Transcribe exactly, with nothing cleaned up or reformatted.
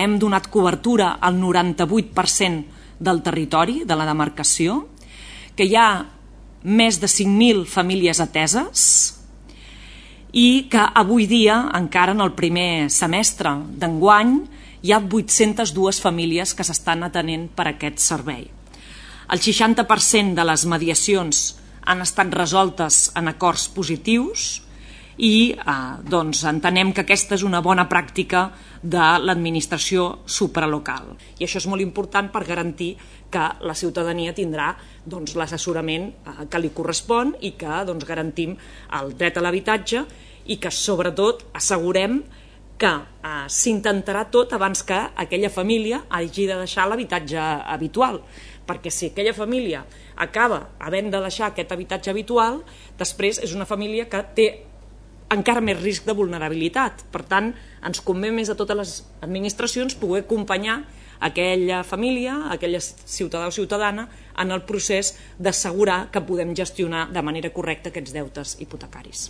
Hem donat cobertura al noranta-vuit per cent del territori de la demarcació, que hi ha més de cinc mil famílies ateses i que avui dia, encara en el primer semestre d'enguany, hi ha vuit-centes dues famílies que s'estan atenent per aquest servei. El seixanta per cent de les mediacions han estat resoltes en acords positius i eh, doncs, entenem que aquesta és una bona pràctica de l'administració supralocal. I això és molt important per garantir que la ciutadania tindrà doncs, l'assessorament eh, que li correspon i que doncs, garantim el dret a l'habitatge i que sobretot assegurem que eh, s'intentarà tot abans que aquella família hagi de deixar l'habitatge habitual, perquè si aquella família acaba havent de deixar aquest habitatge habitual, després és una família que té encara més risc de vulnerabilitat. Per tant, ens convé més a totes les administracions poder acompanyar aquella família, aquella ciutadà o ciutadana en el procés d'assegurar que podem gestionar de manera correcta aquests deutes hipotecaris.